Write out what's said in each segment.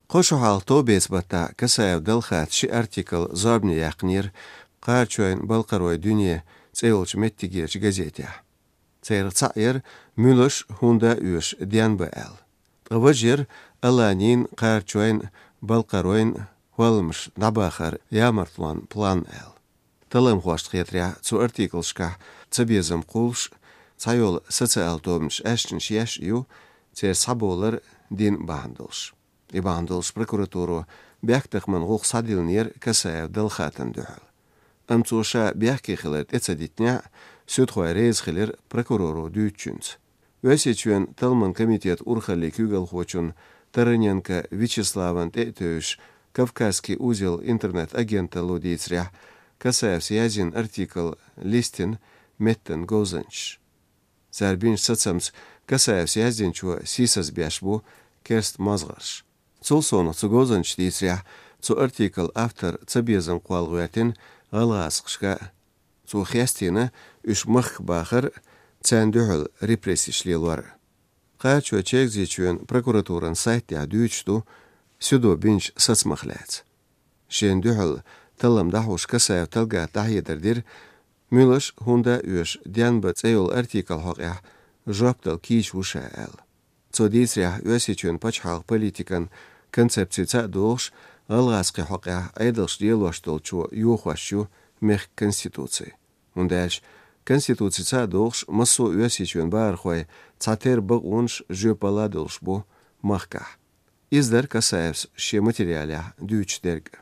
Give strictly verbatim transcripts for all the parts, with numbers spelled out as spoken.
Кхо шу хьалха товбеца баттахь Касаев Далхата ши артикл зорбане яьккхинера «Кхарачойн-балкхаройн дуьне» цӀе йолчу меттигерчу газетехь. Царах цхьаъ яра «Муьлш, хӀунда оьшу денба» аьлла. Ткъа важа яра «Аланийн, кхарачойн, балкхаройн хӀолламаш дӀабахаран ямартлонан план» аьлла. Талламхошна хетарехь, цу артиклашкахь цабезам кхуллуш, цхьайолу социал тобанаш аьшнаш еш а ю, церан схьабовлар дин бахьана долуш. И бахьана долуш прокуратуро бехктакхаман гӀуллакх схьадиллинера Касаев Далхатана дуьхьал. Амма цо ша бехке хилар тӀе ца дитинехь, суьдхой реза хилира прокуроро дуьйцучуьнца. Оьрсийчоьнан талламан комитетан урхаллин куьйгалхочун Тараненко Вячеславан тӀе а тевжаш, «Кавказский узел» интернет-агенталло дийцарехь, Касаевс яздина артикл листина меттан говзанчаш. Цара бинчу сацамца Касаевс яздинчо сийсаз беш бу керста мозгӀарш. Цул совнаха цу говзанчаша дийцарехь, цу артиклан автор цабезам кхолла гӀоьртина гӀалгӀазкхашка а. Цо хестийна уьш махках бахар а, царна дуьхьал репрессеш лелор а. Кхачо Чегзийчоьнан прокуратуран сайта тӀехь дуьйцуш ду суьдо бинчу сацамах лаьцна. Шена дуьхьал таллам дӀахьош Касаев Талгата дӀахьедар дира, «Муьлш, хӀунда оьшу денба» цӀе йолу артикл хьокъехь жоп дала кийча ву ша аьлла. Цо дийцарехь, Оьрсийчоьнан пачхьалкхан политикан концепцица а догӀуш, гӀалгӀазкхийн хьокъехь Ӏедалш лелош долчо йохош ю мехкан конституци. ХӀунда аьлча конституцица а догӀуш, массо а Оьрсийчоьнан бахархой цхьатерра бакъонаш, жоьпалла долуш бу махкахь. Иза дара Касаевс шен материалехь дуьйцуш дерг а.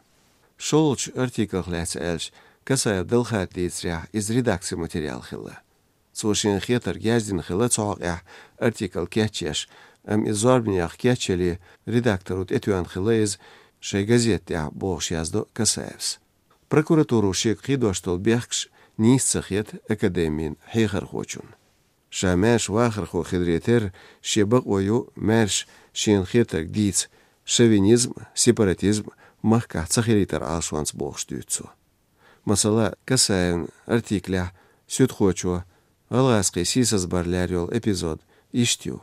ШолгӀачу артиклах лаьцна аьлча, Касаев Далхата дийцарехь, иза редакцин материал хилла. Цо шена хетарг яздина хилла цу хьокъехь артикл кечъеш, амма иза зорбанехь кечъеле, редакторо тӀетоьхна хилла иза шайн газета тӀехь, бохуш яздо Касаевс. Прокуратуро шега кхийдош долу бехкаш нийса ца хета академин хьехархочунна. Ша маьрша вахархо хиларе терра, шен бакъо ю маьрша шена хетарг дийца, шовинизм, сепаратизм махкахь ца хилийтар Ӏалашонца, бохуш дуьйцу цо. Масала, Касаевн артиклехь суьдхочо гӀалгӀазкхийн сийсазбар лер йолу эпизод иштта ю,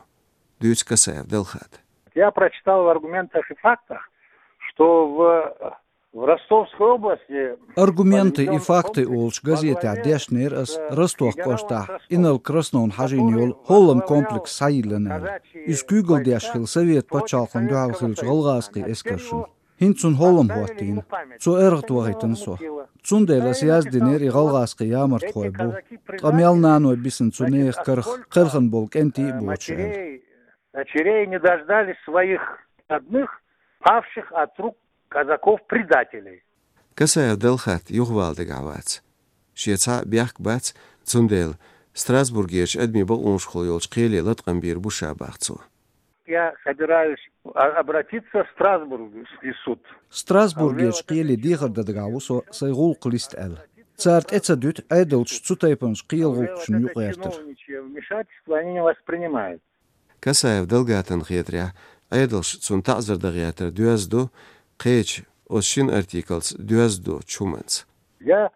дуьйцу Касаев Далхата. Я прочитал в «Аргументах и фактах», что в, в Ростовской области... «Аргументы и факты» олучу газетехь дешнера ас Ростов кӀоштахь Инал Красновна хьажийна йолу хӀоллам комплекс схьайиллина аьлла. Иза куьйгалла деш хилла Совет пачхьалкхана дуьхьал хиллачу гӀалгӀазкхийн эскаршна. ХӀинца цунна хӀоллам хӀоттийна. Цо эргӀа вахийтина со. Цундела ас яздинера и гӀалгӀазкхийн ямартхой бу. Ткъа мел наной бисина цу нехан карах кхелхина болу кӀентий а боцуш аьлла. Дочерей не дождались своих родных, павших от рук казаков-предателей. Касаев Далхат юхавала дагахь вац. Шен цхьа а бехк бац, цундела Страсбургерчу адамийн бакъонашкахула йолчу кхеле латкъам бийр бу ша, бах цо. Я собираюсь а-, обратиться в Страсбургский суд. Страсбургерчу кхеле дехар дан дагахь ву со, сайн гӀуллакх листа аьлла. Цара тӀе ца дуьту Ӏедалша цу тайпанчу кхелан гӀуллакхашна юкъагӀертар. Чиновничье вмешательство они не воспринимают. Касаев Далгатана хетарехь, Ӏедалша цунна таӀзар дан гӀертар доьзна ду, кхечу, оцу шина артиклца доьзна доцучу хӀуманца. Я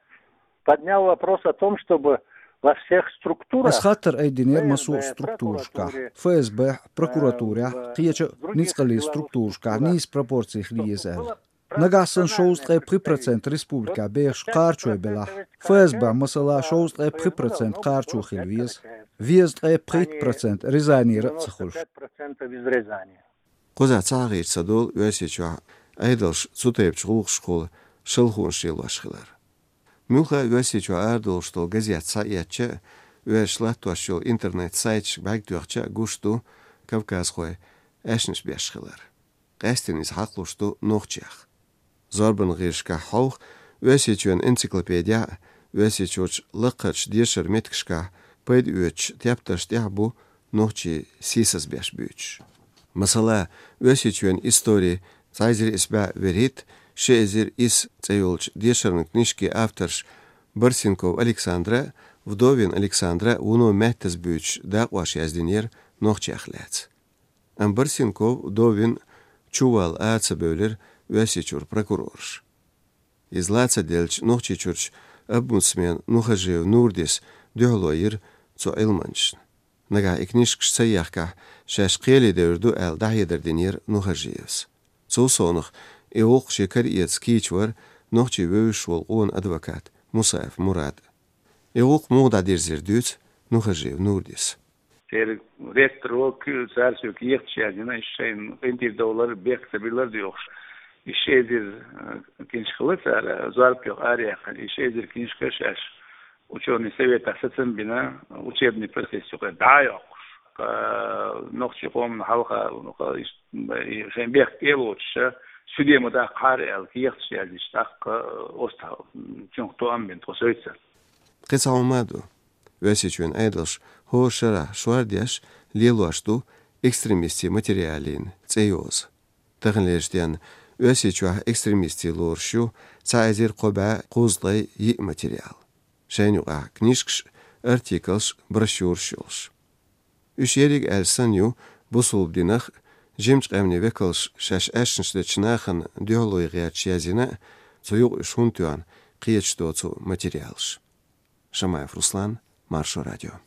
поднял вопрос о том, чтобы во всех структурах... Ас хаттар айдинера массо а структурашкахь, ФСБ-хь, прокуратурехь, кхечу а ницкъаллин структурашкахь нийса пропорци хила еза аьлла. Нагахь санна шовзткъе пхи процент республикехь бехаш кхарачой белахь, ФСБ-хь, масала, шовзткъе пхи процент кхарачо хила веза, везткъе пхийтта процент Рязанера а ца хуьлуш. Кхузахь ца хьахийча ца долу Оьрсийчохь Ӏедалша цу тайпачу гӀуллакхашкахула шалхонаш лелош хилар. Муьлхха а Оьрсийчохь арадолуш долу газет схьаэцча а, оьрсаша латтош йолу интернет-сайташка бӀаьрг тоьхча а гуш ду кавказхой аьшнаш беш хилар. Къаьсттина иза хьакхалуш ду нохчех. Зорбанан гӀирсашкахь хьовха, Оьрсийчоьнан энциклопедехь а, Оьрсийчуьрчу лакхарчу дешаран меттигашкахь пайда оьцучу тептарш тӀехь а бу нохчий сийсаз беш буьйцуш. Масала, Оьрсийчоьнан истори цхьа эзар исс бӀе вуьрхӀитта, ши эзар исс цӀе йолчу дешаран книжкин авторш Барсенков Александра а, Вдовин Александра а вуно маьттаза буьйцуш дакъош яздинера нохчех лаьцна. Амма Барсенков, Вдовин чувалла ара ца бевлира Оьрсийчуьра прокурораш. Иза ла ца делча, Нохчийчуьрчу омбудсмен Нухажиев Нурдис дуьхьало йира цу Ӏилманчашна. Нагахь и книжкаш ца ехкахь, шаьш кхеле девр ду аьлла, дӀахьедар динера Нухажиевс. Цул совнах, и гӀуллакх шен кара эца кийча вар нохчий вевзаш волу къона адвокат Мусаев Мурад. И гӀуллакх муха дӀадирзира дуьйцу Нухажиев Нурдис. Церан ректор ву, цара соьга кехаташ яздина, и шайна къинтӀера довлар, бехк ца биллар дохуш. И ши эзар, э, книжка хилла цара, зорба йоха араяьккхина, и ши эзар книжка шаьш учёный советах сацам бина, учебный процесс юкъе дӀа а йоккхуш. Ткъа нохчий къоман хьалха, ну, ткъа иштта, и шайн бехк тӀе а лоцуш, суьде ма даккхахьара аьлла, кехаташ яздича, тӀаккха, э, оцу цунах тоам бина тхо соьца. Кхин цхьа хӀума а ду. Оьрсийчоьнан Ӏедалша хӀора шарахь шордеш лелош ду экстремистийн материалийн цӀе йоза. Таханлерчу денна Оьрсийчохь экстремистийн лоруш ю цхьа эзар кхо бӀе кхузткъе йиъ материал. Шайна юкъахь книжкаш, артиклаш, брошюраш йолуш. Уьш ерриг аьлла санна ю бусулба динах, жимачу къаьмнийн векалша шаьш аьшнаш дечу нахана дуьхьало гӀерташ яздина а, цу юкъа уьш хӀунда тоьхна кхеташ доцу материалаш. Шамаев Руслан, Маршо радио.